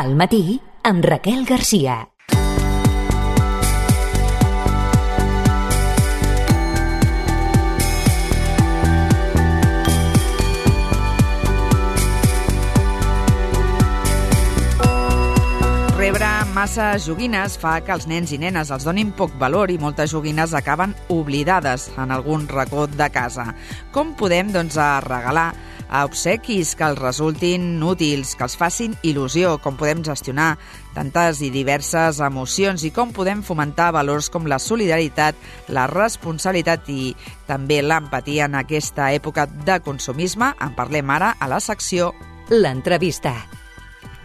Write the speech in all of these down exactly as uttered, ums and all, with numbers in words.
Al matí, amb Raquel Garcia. Rebre massa joguines fa que els nens i nenes els donin poc valor i moltes joguines acaben oblidades en algun racó de casa. Com podem, doncs, a regalar a obsequis que els resultin útils, que els facin il·lusió, com podem gestionar tantes i diverses emocions i com podem fomentar valors com la solidaritat, la responsabilitat i també l'empatia en aquesta època de consumisme. En parlem ara a la secció L'entrevista.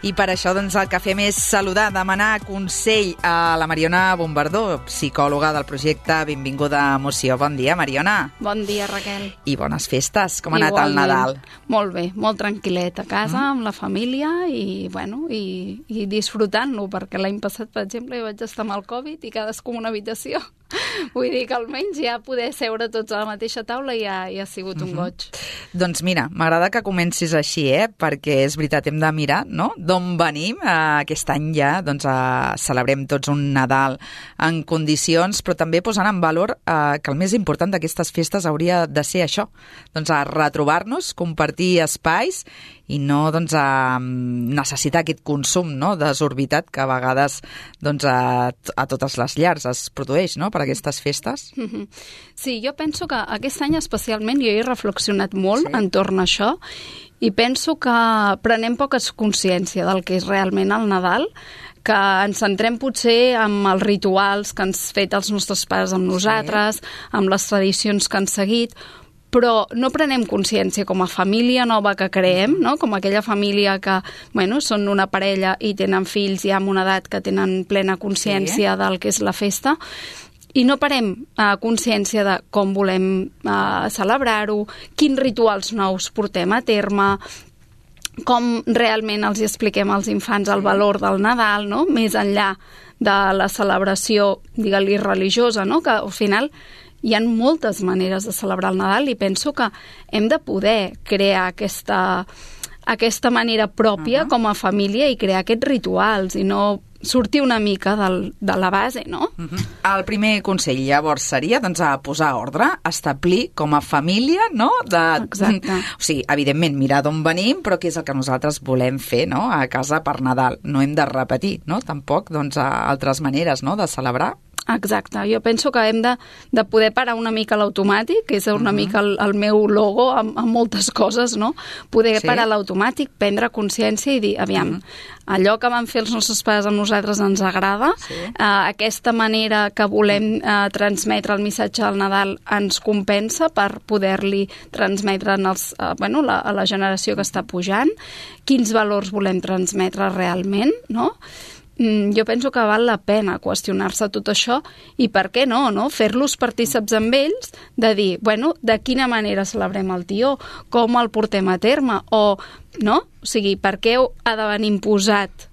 I per això doncs, el que fem és saludar, demanar consell a la Mariona Bombardó, psicòloga del projecte Benvinguda Emoció. Bon dia, Mariona. Bon dia, Raquel. I bones festes. Com ha anat Igualment. el Nadal? Molt bé, molt tranquil·let a casa, Mm. amb la família i, bueno, i, i disfrutant-lo, perquè l'any passat, per exemple, jo vaig estar amb el Covid i cadascú en una habitació. Vull dir que almenys ja poder seure tots a la mateixa taula ja, ja ha sigut un goig. Doncs mira, m'agrada que comencis així, eh? Perquè és veritat, hem de mirar, no?, d'on venim. Eh, aquest any ja doncs, eh, celebrem tots un Nadal en condicions, però també posant en valor eh, que el més important d'aquestes festes hauria de ser això, doncs a retrobar-nos, compartir espais i no doncs, a necessitar aquest consum, no?, desorbitat que a vegades doncs, a, a totes les llars es produeix, no?, per aquestes festes. Sí, jo penso que aquest any especialment jo he reflexionat molt Sí. entorn a això i penso que prenem poca consciència del que és realment el Nadal, que ens centrem potser en els rituals que han fet els nostres pares amb nosaltres, sí. amb les tradicions que han seguit, però no prenem consciència com a família nova que creem, no? Com aquella família que, bueno, són una parella i tenen fills ja amb una edat que tenen plena consciència sí. del que és la festa, i no parem uh, consciència de com volem uh, celebrar-ho, quins rituals nous portem a terme, com realment els expliquem als infants el valor del Nadal, no?, més enllà de la celebració, digue-li, religiosa, no?, que al final hi ha moltes maneres de celebrar el Nadal i penso que hem de poder crear aquesta, aquesta manera pròpia uh-huh. com a família i crear aquests rituals i no sortir una mica del, de la base, no? Uh-huh. El primer consell, llavors, seria doncs, a posar ordre, establir com a família, no? De... Exacte. O sigui, evidentment, mirar d'on venim, però què és el que nosaltres volem fer, no?, a casa per Nadal. No hem de repetir, no?, tampoc, doncs, altres maneres, no?, de celebrar. Exacte, jo penso que hem de, de poder parar una mica l'automàtic, que és una uh-huh. mica el, el meu logo amb, amb moltes coses, no? Poder sí. parar l'automàtic, prendre consciència i dir, aviam, uh-huh. allò que van fer els nostres pares amb nosaltres ens agrada, sí. eh, aquesta manera que volem eh, transmetre el missatge del Nadal ens compensa per poder-li transmetre en els, eh, bueno, la, a la generació que està pujant, quins valors volem transmetre realment, no? Jo penso que val la pena qüestionar-se tot això i per què no, no? Fer-los partíceps amb ells de dir, bueno, de quina manera celebrem el tió, com el portem a terme o, no? O sigui, per què ha de venir imposat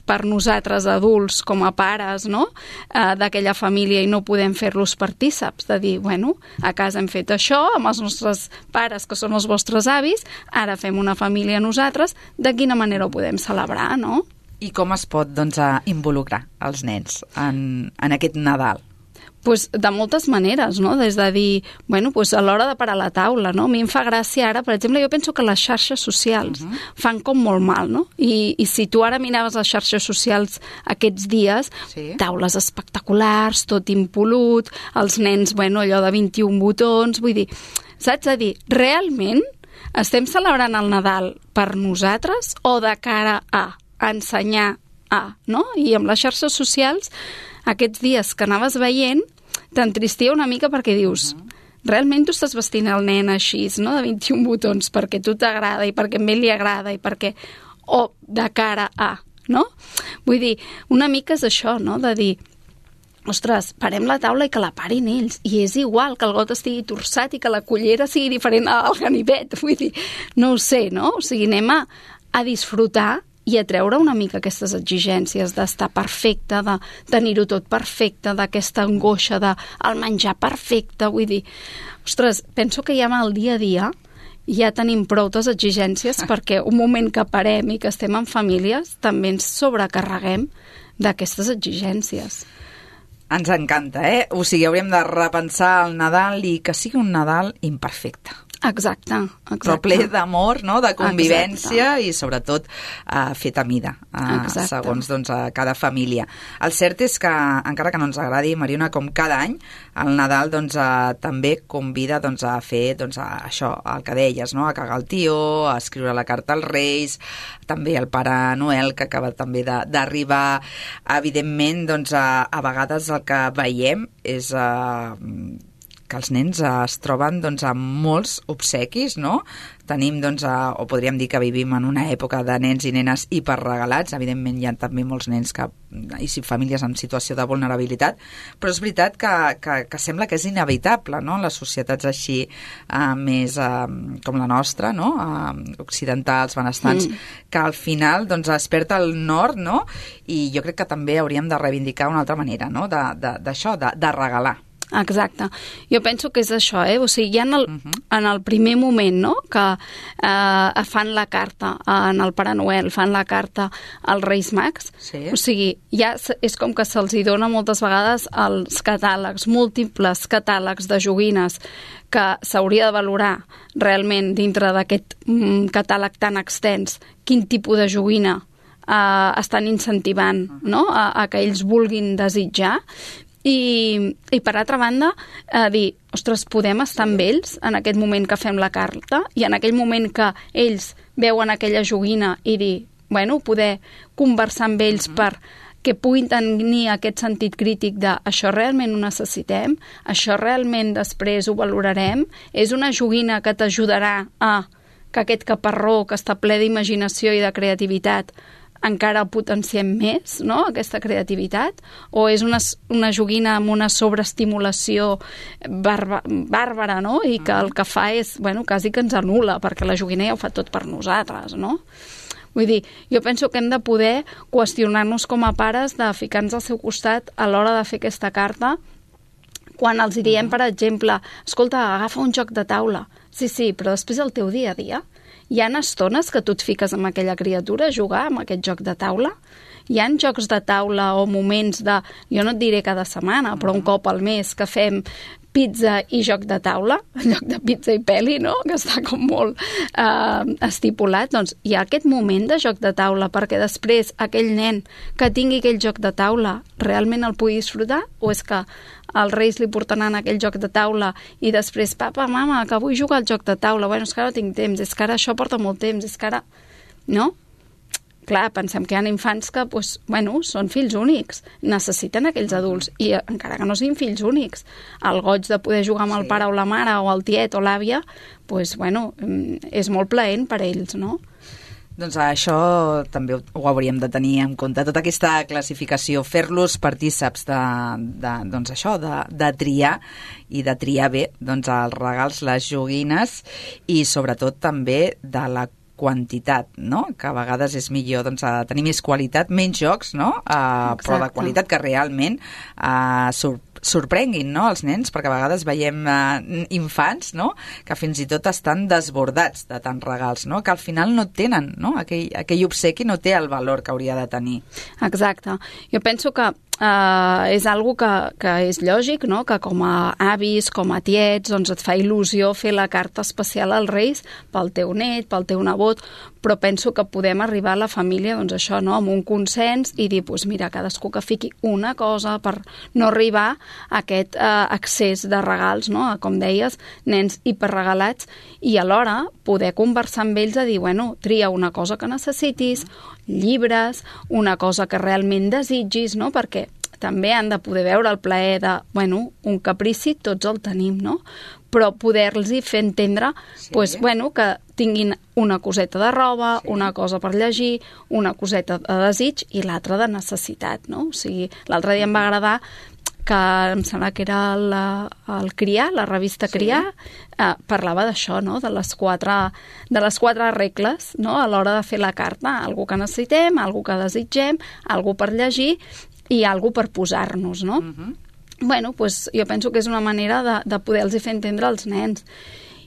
per nosaltres adults com a pares, no?, eh, d'aquella família i no podem fer-los partíceps, de dir, bueno, a casa hem fet això amb els nostres pares que són els vostres avis, ara fem una família nosaltres, de quina manera ho podem celebrar, no? I com es pot, doncs, a involucrar els nens en, en aquest Nadal? Pues de moltes maneres, no? Des de dir, bueno, pues a l'hora de parar la taula, no? A mi em fa gràcia ara, per exemple, jo penso que les xarxes socials uh-huh. fan com molt mal, no? I, i si tu ara miraves les xarxes socials aquests dies, sí. taules espectaculars, tot impolut, els nens, bueno, allò de vint-i-un botons, vull dir, saps? A dir, realment estem celebrant el Nadal per nosaltres o de cara a ensenyar a, no? I amb les xarxes socials, aquests dies que anaves veient, t'entristia una mica perquè dius, uh-huh. realment tu estàs vestint el nen així, no?, de vint-i-un botons, perquè tu t'agrada i perquè a ell li agrada i perquè... o de cara a, no? Vull dir, una mica és això, no?, de dir, ostres, parem la taula i que la parin ells. I és igual que el got estigui torçat i que la cullera sigui diferent al ganivet. Vull dir, no ho sé, no? O sigui, anem a, a disfrutar i a treure una mica aquestes exigències d'estar perfecte, de tenir-ho tot perfecte, d'aquesta angoixa de el menjar perfecte. Vull dir, ostres, penso que ja en el dia a dia ja tenim proutes exigències perquè un moment que parem i que estem en famílies també ens sobrecarreguem d'aquestes exigències. Ens encanta, eh? O sigui, hauríem de repensar el Nadal i que sigui un Nadal imperfecte. Exacte, exacte. Però ple d'amor, no? De convivència exacte. I sobretot uh, fet a mida, uh, segons doncs, a cada família. El cert és que, encara que no ens agradi, Mariona, com cada any, el Nadal doncs, uh, també convida doncs, a fer doncs, a això, el que deies, no? A cagar el tió, a escriure la carta als Reis, també el Pare Noel, que acaba també d'arribar. Evidentment, doncs, a, a vegades el que veiem és... Uh, que els nens eh, es troben doncs, amb molts obsequis, no? Tenim, doncs, eh, o podríem dir que vivim en una època de nens i nenes hiperregalats. Evidentment hi ha també molts nens que, i famílies en situació de vulnerabilitat, però és veritat que, que, que sembla que és inevitable, no? Les societats així eh, més eh, com la nostra, no? Eh, occidentals, benestants, mm. que al final doncs, es perd el nord, no? I jo crec que també hauríem de reivindicar una altra manera, no? D'això, de, de, de regalar. Exacte. Jo penso que és això, eh? O sigui, ja en el, uh -huh. en el primer moment, no?, que eh, fan la carta en el Pare Noel, fan la carta als Reis Mags, sí. O sigui, ja és com que se'ls hi dona moltes vegades els catàlegs, múltiples catàlegs de joguines que s'hauria de valorar realment dintre d'aquest mm, catàleg tan extens, quin tipus de joguina eh, estan incentivant, uh -huh. no?, a, a que ells vulguin desitjar. I, i per altra banda, eh, dir, ostres, podem estar amb ells en aquest moment que fem la carta i en aquell moment que ells veuen aquella joguina i dir, bueno, poder conversar amb ells uh -huh. per que puguin tenir aquest sentit crític de això realment ho necessitem, això realment després ho valorarem, és una joguina que t'ajudarà a que aquest caparró que està ple d'imaginació i de creativitat encara potenciem més, no?, aquesta creativitat, o és una, una joguina amb una sobreestimulació barba, bàrbara, no?, i que el que fa és, bueno, quasi que ens anul·la, perquè la joguina ja ho fa tot per nosaltres, no? Vull dir, jo penso que hem de poder qüestionar-nos com a pares de ficar-nos al seu costat a l'hora de fer aquesta carta, quan els diem, per exemple, escolta, agafa un joc de taula. Sí, sí, però després el teu dia a dia hi ha estones que tu et fiques amb aquella criatura a jugar amb aquest joc de taula? Hi ha jocs de taula o moments de, jo no et diré cada setmana, però un cop al mes que fem pizza i joc de taula, en lloc de pizza i peli, no?, que està com molt eh, estipulat, doncs hi ha aquest moment de joc de taula perquè després aquell nen que tingui aquell joc de taula realment el pugui disfrutar, o és que els Reis li portaran aquell joc de taula i després, papa, mama, que vull jugar al joc de taula, bueno, és que ara no tinc temps, és que ara això porta molt temps, és que ara... No? Clar, pensem que hi ha infants que, doncs, bueno, són fills únics, necessiten aquells adults, i encara que no siguin fills únics, el goig de poder jugar amb el sí. pare o la mare o el tiet o l'àvia, doncs, bueno, és molt plaent per ells, no? Doncs això també ho hauríem de tenir en compte, tota aquesta classificació, fer-los partíceps de, de, doncs això, de, de triar i de triar bé doncs, els regals, les joguines i sobretot també de la quantitat, no? Que a vegades és millor doncs, tenir més qualitat, menys jocs, no? Uh, però de qualitat que realment uh, sor sorprenguin, no?, els nens, perquè a vegades veiem uh, infants, no?, que fins i tot estan desbordats de tants regals, no?, que al final no tenen, no?, aquell, aquell obsequi no té el valor que hauria de tenir. Exacte. Jo penso que Uh, és algo que, que és lògic, no?, que com a avis, com a tiets, doncs et fa il·lusió fer la carta especial als Reis pel teu net, pel teu nebot, però penso que podem arribar a la família, doncs això, no?, amb un consens i dir, doncs mira, cadascú que fiqui una cosa per no arribar a aquest uh, excés de regals, no?, a, com deies, nens hiperregalats, i alhora poder conversar amb ells a dir, bueno, tria una cosa que necessitis, llibres, una cosa que realment desitgis, no?, perquè també han de poder veure el plaer de, bueno, un caprici tots el tenim, no?, però poder-los fer entendre, sí. pues, bueno, que tinguin una coseta de roba, sí. una cosa per llegir, una coseta de desig i l'altra de necessitat, no? O sigui, l'altre dia em va agradar que em sembla que era la, el Criar, la revista Criar, sí. eh, parlava d'això, no?, de les quatre, de les quatre regles, no?, a l'hora de fer la carta, algú que necessitem, algú que desitgem, algú per llegir i algú per posar-nos, no? Uh-huh. Bueno, pues, jo penso que és una manera de, de poder-los fer entendre als nens.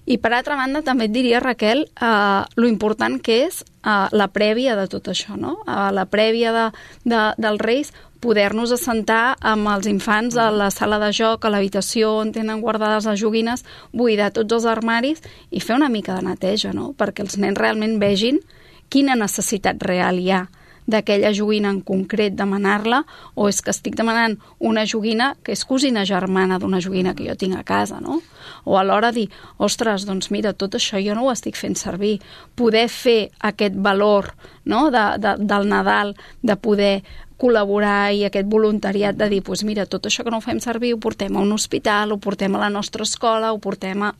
I per altra banda també et diria, Raquel, eh, lo important que és eh, la prèvia de tot això, no? Eh, la prèvia de, de, dels Reis, poder-nos assentar amb els infants a la sala de joc, a l'habitació on tenen guardades les joguines, buidar tots els armaris i fer una mica de neteja, no? Perquè els nens realment vegin quina necessitat real hi ha d'aquella joguina en concret, demanar-la, o és que estic demanant una joguina que és cosina germana d'una joguina que jo tinc a casa, no? O alhora dir, ostres, doncs mira, tot això jo no ho estic fent servir. Poder fer aquest valor, no?, de, de, del Nadal, de poder col·laborar i aquest voluntariat de dir, doncs mira, tot això que no ho fem servir ho portem a un hospital, ho portem a la nostra escola, ho portem a...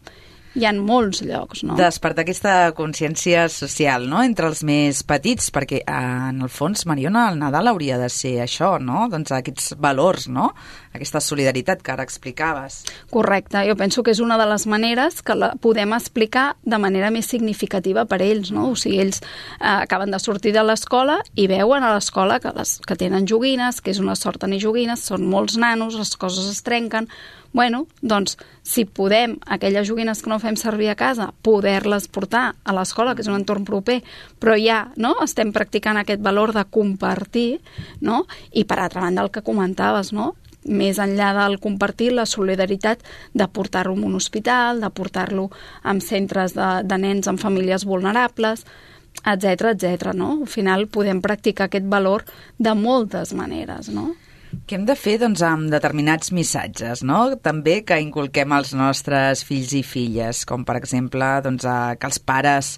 Hi ha molts llocs, no? Despertar aquesta consciència social, no?, entre els més petits, perquè en el fons, Mariona, el Nadal hauria de ser això, no?, doncs aquests valors, no?, aquesta solidaritat que ara explicaves. Correcte, jo penso que és una de les maneres que la podem explicar de manera més significativa per ells, no? O sigui, ells eh, acaben de sortir de l'escola i veuen a l'escola que, les, que tenen joguines, que és una sort tenir joguines, són molts nanos, les coses es trenquen. Bueno, doncs, si podem, aquelles joguines que no fem servir a casa, poder-les portar a l'escola, que és un entorn proper, però ja, no?, estem practicant aquest valor de compartir, no? I per altra banda el que comentaves, no?, més enllà del compartir, la solidaritat de portar-lo a un hospital, de portar-lo en centres de, de nens amb famílies vulnerables, etcètera, etcètera, no? Al final podem practicar aquest valor de moltes maneres, no? Què hem de fer, doncs, amb determinats missatges, no?, també que inculquem als nostres fills i filles, com per exemple, doncs, que els pares,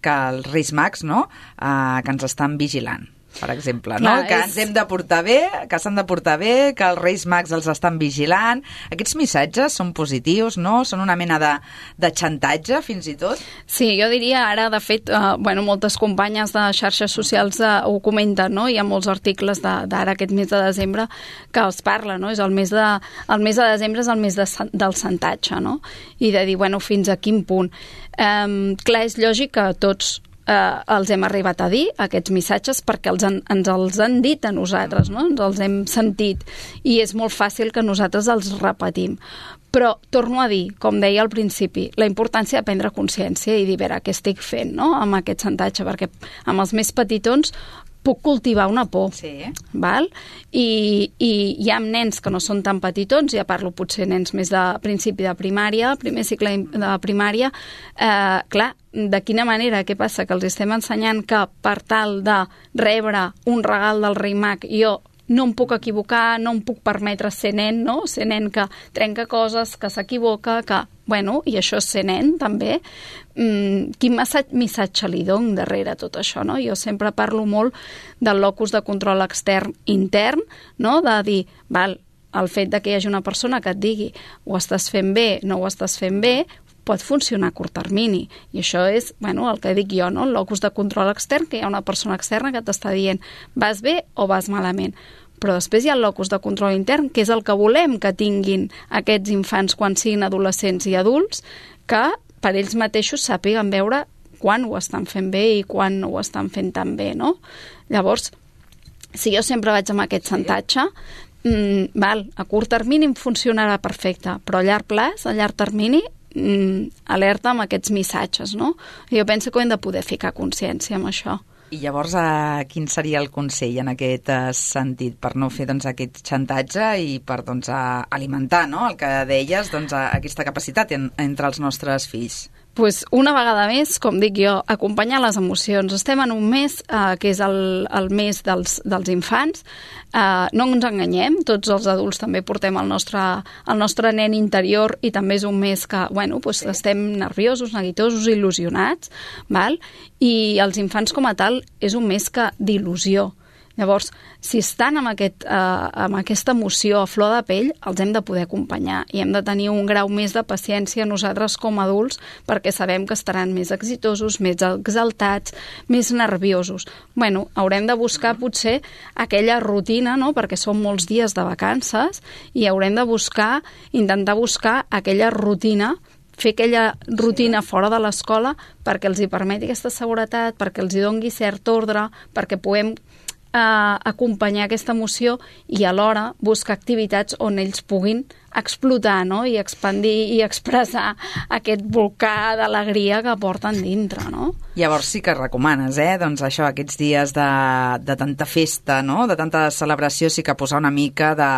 que els Reis Mags, no?, eh, que ens estan vigilant, per exemple, no? Clar, que és... ens hem de portar bé, que s'han de portar bé, que els Reis Mags els estan vigilant. Aquests missatges són positius, no? Són una mena de, de xantatge, fins i tot? Sí, jo diria ara, de fet, eh, bueno, moltes companyes de xarxes socials eh, ho comenten, no? Hi ha molts articles d'ara, aquest mes de desembre, que els parla, no? És el mes de, el mes de desembre és el mes de, del xantatge, no? I de dir, bueno, fins a quin punt. Eh, clar, és lògic que tots eh, els hem arribat a dir, aquests missatges, perquè els han, ens els han dit a nosaltres, no? Ens els hem sentit, i és molt fàcil que nosaltres els repetim. Però torno a dir, com deia al principi, la importància de prendre consciència i dir, a veure, què estic fent, no?, amb aquest xantatge, perquè amb els més petitons puc cultivar una por, sí. Val? I, i hi ha nens que no són tan petitons, ja parlo potser nens més de principi de primària, primer cicle de primària, eh, clar, de quina manera, què passa? Que els estem ensenyant que per tal de rebre un regal del Rei Mag, jo no em puc equivocar, no em puc permetre ser nen, no? Ser nen que trenca coses, que s'equivoca, que... Bueno, i això és ser nen, també. Mm, quin missatge li dono darrere tot això, no? Jo sempre parlo molt del locus de control extern intern, no? De dir, val, el fet de que hi hagi una persona que et digui ho estàs fent bé, no ho estàs fent bé, pot funcionar a curt termini. I això és, bueno, el que dic jo, no? El locus de control extern, que hi ha una persona externa que t'està dient vas bé o vas malament. Però després hi ha el locus de control intern, que és el que volem que tinguin aquests infants quan siguin adolescents i adults, que per ells mateixos sàpiguen veure quan ho estan fent bé i quan no ho estan fent tan bé, no? Llavors, si jo sempre vaig amb aquest xantatge, mmm, val, a curt termini em funcionarà perfecte, però a llarg plaç, a llarg termini, mmm, alerta amb aquests missatges, no? Jo penso que hem de poder ficar consciència amb això. I llavors, eh, quin seria el consell en aquest eh, sentit per no fer doncs, aquest xantatge i per doncs, eh, alimentar, no?, el que deies, doncs, eh, aquesta capacitat en, entre els nostres fills? Pues una vegada més, com dic jo, acompanyar les emocions. Estem en un mes eh, que és el, el mes dels, dels infants. Eh, no ens enganyem, tots els adults també portem el nostre, el nostre nen interior i també és un mes que, bueno, pues, sí. Estem nerviosos, neguitosos, il·lusionats, val? I els infants com a tal és un mes que d'il·lusió. Llavors, si estan amb, aquest, eh, amb aquesta emoció a flor de pell, els hem de poder acompanyar i hem de tenir un grau més de paciència nosaltres com a adults perquè sabem que estaran més exitosos, més exaltats, més nerviosos. Bueno, haurem de buscar potser aquella rutina, no?, perquè són molts dies de vacances i haurem de buscar, intentar buscar aquella rutina, fer aquella rutina fora de l'escola perquè els hi permeti aquesta seguretat, perquè els hi doni cert ordre, perquè puguem eh, acompanyar aquesta emoció i alhora buscar activitats on ells puguin explotar, no? I expandir i expressar aquest volcà d'alegria que porten dintre, no? Llavors sí que recomanes, eh? Doncs això, aquests dies de, de tanta festa, no? De tanta celebració, sí que posar una mica de...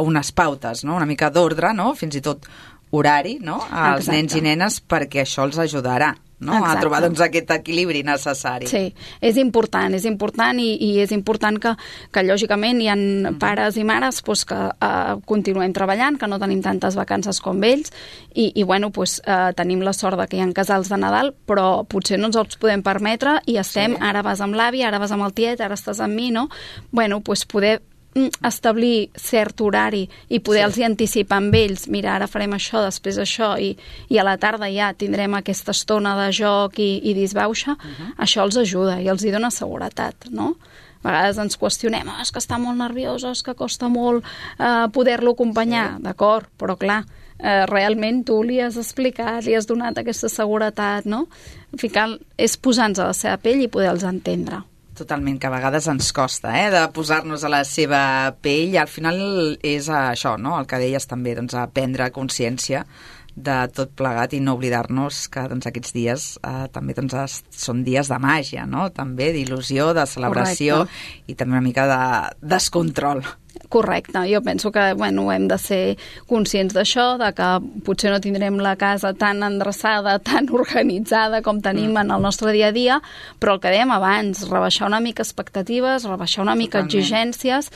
unes pautes, no? Una mica d'ordre, no? Fins i tot horari, no? Als Exacte. nens i nenes, perquè això els ajudarà, no? Exacte. A trobar doncs, aquest equilibri necessari. Sí, és important, és important i, i és important que, que lògicament hi ha uh-huh. pares i mares pues, que uh, continuem treballant, que no tenim tantes vacances com ells i, i bueno, pues, uh, tenim la sort de que hi ha casals de Nadal, però potser no ens els podem permetre i estem, sí. Ara vas amb l'avi, ara vas amb el tiet, ara estàs amb mi, no? Bueno, pues poder establir cert horari i poder-los sí. anticipar amb ells, mira, ara farem això, després això, i, i a la tarda ja tindrem aquesta estona de joc i, i disbauxa, uh-huh. això els ajuda i els hi dona seguretat, no? A vegades ens qüestionem, oh, és que està molt nerviós, és que costa molt eh, poder-lo acompanyar, sí. D'acord, però clar, eh, realment tu li has explicat, li has donat aquesta seguretat, no? Ficar, és posar-nos a la seva pell i poder-los entendre. Totalment, que a vegades ens costa, eh, de posar-nos a la seva pell i al final és això, no?, el que deies també, doncs, a prendre consciència de tot plegat i no oblidar-nos que doncs, aquests dies eh, també doncs, es, són dies de màgia, no?, també d'il·lusió, de celebració. Correcte. I també una mica de descontrol. Correcte, jo penso que bueno, hem de ser conscients d'això, de que potser no tindrem la casa tan endreçada, tan organitzada com tenim mm. en el nostre dia a dia, però el que dèiem abans, rebaixar una mica expectatives, rebaixar una mica Totalment. Exigències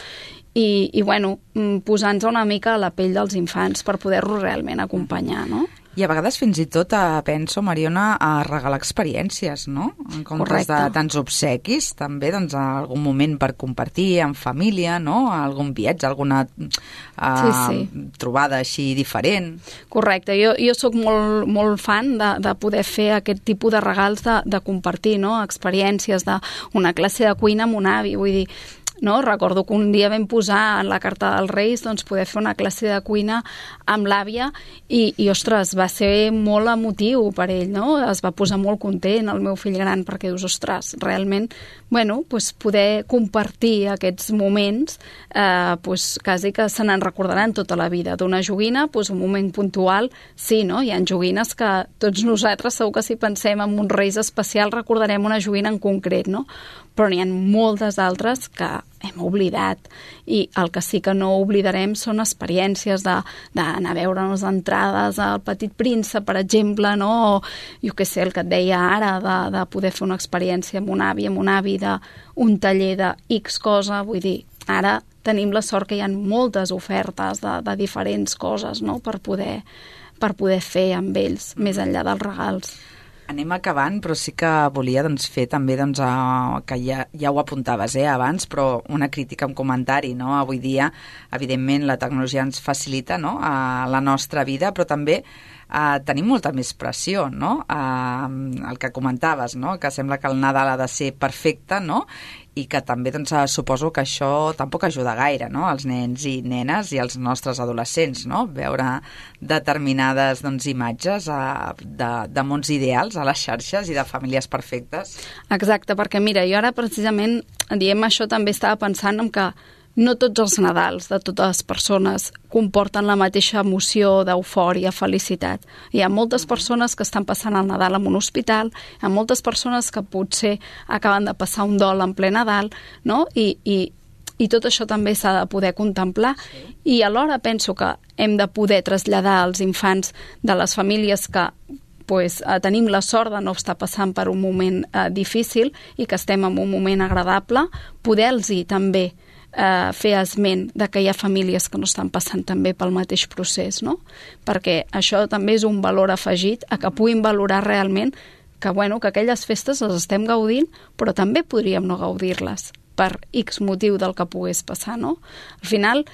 i, i bueno, posar-nos una mica a la pell dels infants per poder-los realment acompanyar, no? I a vegades fins i tot eh, penso, Mariona, a regalar experiències, no? En comptes Correcte. De tants obsequis, també doncs, a algun moment per compartir en família, no? Algun viatge, alguna eh, sí, sí. trobada així diferent. Correcte, jo, jo sóc molt, molt fan de, de poder fer aquest tipus de regals de, de compartir, no? Experiències d'una classe de cuina amb un avi, vull dir, no? Recordo que un dia vam posar en la carta dels Reis doncs, poder fer una classe de cuina amb l'àvia i, i, ostres, va ser molt emotiu per ell, no? Es va posar molt content el meu fill gran perquè dius, ostres, realment, bueno, doncs poder compartir aquests moments eh, doncs quasi que se n'en recordaran tota la vida. D'una joguina, doncs un moment puntual, sí, no? Hi ha joguines que tots nosaltres segur que si pensem en uns Reis especials recordarem una joguina en concret, no? Però n'hi ha moltes altres que hem oblidat i el que sí que no oblidarem són experiències d'anar a veure'ns entrades al Petit Príncep, per exemple, no? O jo què sé, el que et deia ara, de, de poder fer una experiència amb un avi, amb un avi d'un taller de X cosa, vull dir, ara tenim la sort que hi ha moltes ofertes de, de diferents coses, no? Per poder, per poder fer amb ells, més enllà dels regals. Anem acabant, però sí que volia doncs, fer també, doncs, uh, que ja, ja ho apuntaves eh, abans, però una crítica, un comentari, no? Avui dia, evidentment, la tecnologia ens facilita, no?, uh, la nostra vida, però també uh, tenim molta més pressió, no? Uh, el que comentaves, no?, que sembla que el Nadal ha de ser perfecte, no?, i que també doncs, suposo que això tampoc ajuda gaire, no?, als nens i nenes i als nostres adolescents, no?, veure determinades doncs, imatges uh, de, de mons ideals a les xarxes i de famílies perfectes. Exacte, perquè mira, jo ara precisament diem això, també estava pensant en que no tots els Nadals de totes les persones comporten la mateixa emoció d'eufòria, felicitat. Hi ha moltes persones que estan passant el Nadal en un hospital, hi ha moltes persones que potser acaben de passar un dol en ple Nadal, no? I, i, i tot això també s'ha de poder contemplar. Sí. I alhora penso que hem de poder traslladar als infants de les famílies que pues, eh, tenim la sort de no estar passant per un moment eh, difícil i que estem en un moment agradable, poder-los també Eh, fer esment de que hi ha famílies que no estan passant també pel mateix procés, no? Perquè això també és un valor afegit a que puguin valorar realment que, bueno, que aquelles festes les estem gaudint, però també podríem no gaudir-les per X motiu del que pogués passar, no? Al final,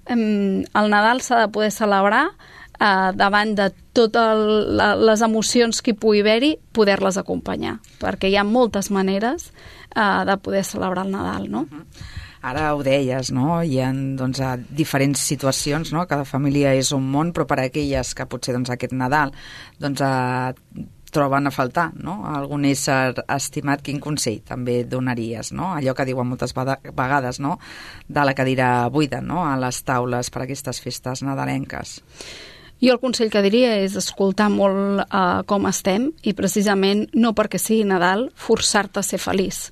eh, el Nadal s'ha de poder celebrar eh, davant de totes les emocions que hi pugui haver-hi, poder-les acompanyar, perquè hi ha moltes maneres eh, de poder celebrar el Nadal, no? Uh-huh. Ara ho deies, no? Hi ha doncs, diferents situacions, no? Cada família és un món, però per a aquelles que potser doncs, aquest Nadal doncs, eh, troben a faltar, no? Algun ésser estimat, quin consell també donaries, no? Allò que diuen moltes vegades, no? De la cadira buida, no? A les taules per a aquestes festes nadalenques. Jo el consell que diria és escoltar molt uh, com estem i precisament no perquè sigui Nadal forçar-te a ser feliç.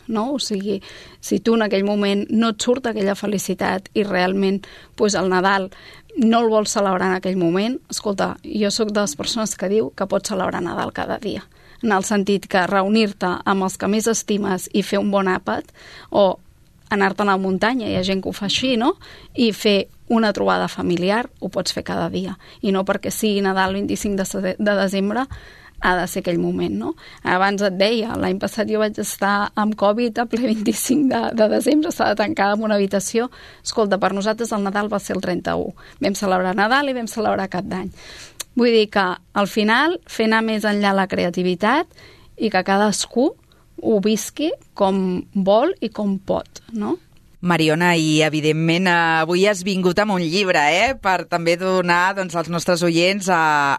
No? O sigui, si tu en aquell moment no et surt aquella felicitat i realment pues, el Nadal no el vols celebrar en aquell moment, escolta, jo sóc de les persones que diu que pots celebrar Nadal cada dia, en el sentit que reunir-te amb els que més estimes i fer un bon àpat, o anar-te'n a la muntanya, hi ha gent que ho fa així, no? I fer una trobada familiar, ho pots fer cada dia, i no perquè sigui Nadal el vint-i-cinc de desembre, ha de ser aquell moment, no? Abans et deia, l'any passat jo vaig estar amb Covid a ple vint-i-cinc de, de desembre, estava tancada en una habitació. Escolta, per nosaltres el Nadal va ser el trenta-u. Vam celebrar Nadal i vam celebrar Cap d'Any. Vull dir que, al final, fer anar més enllà la creativitat i que cadascú ho visqui com vol i com pot, no? Mariona, i evidentment avui has vingut amb un llibre, eh? Per també donar doncs, als nostres oients eh,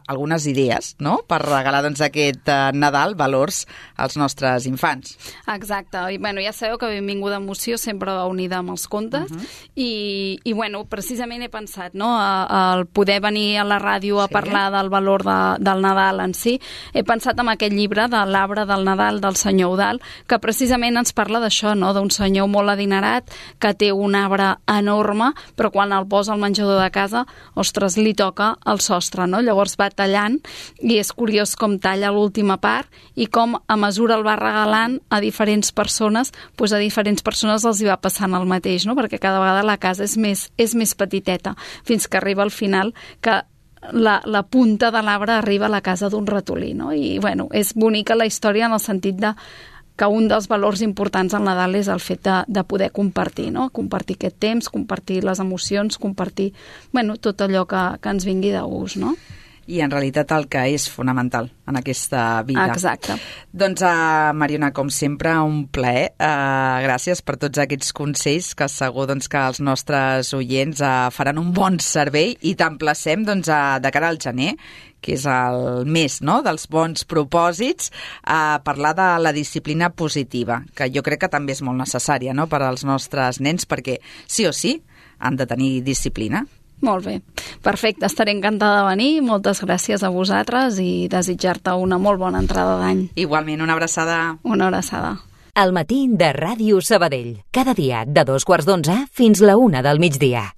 algunes idees, no? Per regalar doncs, aquest eh, Nadal valors als nostres infants. Exacte, i bueno, ja sabeu que benvinguda emoció sempre va unida amb els contes, uh -huh. i, i bueno, precisament he pensat, no? El poder venir a la ràdio a sí. parlar del valor de, del Nadal en si, he pensat en aquest llibre de l'Arbre del Nadal del senyor Eudald, que precisament ens parla d'això, no? D'un senyor molt adinerat que té un arbre enorme, però quan el posa al menjador de casa, ostres, li toca el sostre, no? Llavors va tallant, i és curiós com talla l'última part, i com a mesura el va regalant a diferents persones, doncs a diferents persones els hi va passant el mateix, no? Perquè cada vegada la casa és més, és més petiteta, fins que arriba al final que la, la punta de l'arbre arriba a la casa d'un ratolí, no? I, bueno, és bonica la història en el sentit de que un dels valors importants al Nadal és el fet de, de poder compartir, no? Compartir aquest temps, compartir les emocions, compartir, bueno, tot allò que, que ens vingui de gust, no? I en realitat el que és fonamental en aquesta vida. Exacte. Doncs, uh, Mariona, com sempre, un plaer. Uh, gràcies per tots aquests consells que segur doncs, que els nostres oients uh, faran un bon servei, i t'emplacem doncs, uh, de cara al gener, que és el mes, no?, dels bons propòsits, a parlar de la disciplina positiva, que jo crec que també és molt necessària, no?, per als nostres nens, perquè sí o sí han de tenir disciplina. Molt bé, perfecte, estaré encantada de venir, moltes gràcies a vosaltres i desitjar-te una molt bona entrada d'any. Igualment, una abraçada. Una abraçada. El matí de Ràdio Sabadell, cada dia de dos quarts d'onze fins la una del migdia.